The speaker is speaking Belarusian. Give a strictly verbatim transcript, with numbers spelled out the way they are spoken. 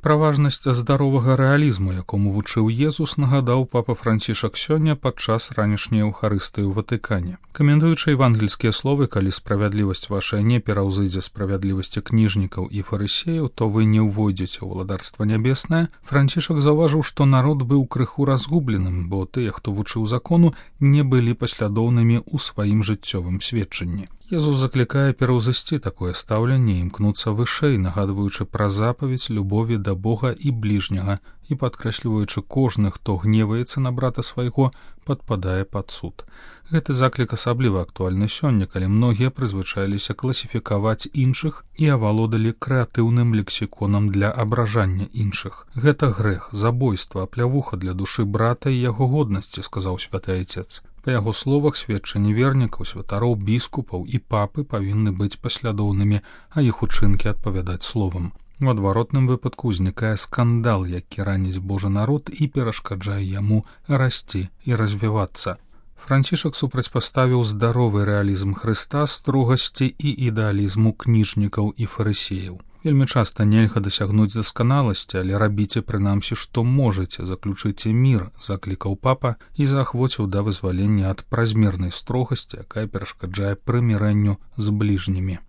Пра важнасць здаровага рэалізму, якому вучыў Езус, нагадаў папа Францішак сёння падчас ранішняй эўхарыстыі ў Ватыкане. Каментуючы евангельскія словы, калі справядлівасць вашая не пераўзыдзе справядлівасці кніжнікаў і фарысеяў, то вы не ўвойдзеце ў валадарства нябеснае, Францішак заўважыў, што народ быў крыху разгубленым, бо тыя, хто вучыў закону, не былі паслядоўнымі ў сваім жыццёвым сведчанні. Езус заклікае пераўзысці такое стаўленне і імкнуцца вышэй, нагадваючы пра запаведь любові да Бога і бліжняга і падкрэсліваючы кожны, хто гневаецца на брата свайго, падпадае пад суд. Гэты заклік асабліва актуальны сёння, калі многія прызвычаіліся класіфікаваць іншых і авалодалі крэатыўным лексіконам для абражання іншых. Гэта грэх, забойства, плявуха для душы брата і яго годнасці, сказаў святы айцец. Па яго словах, сведчанні вернікаў, святароў, біскупаў і папы павінны быць паслядоўнымі, а іх учынкі адпавядаць словам. У адваротным выпадку ўзнікае скандал, які раніць Божы народ і перашкаджае яму расці і развівацца. Францішак супрацьпаставіў здаровы рэалізм Хрыста строгасці і ідэалізму кніжнікаў і фарысеяў. Вельмі часта нельга дасягнуць дасканаласці, але рабіце прынамсі, што можаце, заключыце мір, заклікаў папа і заахвоціў да вызвалення ад празмернай строгасці, якая перашкаджае прымірэнню з бліжнімі.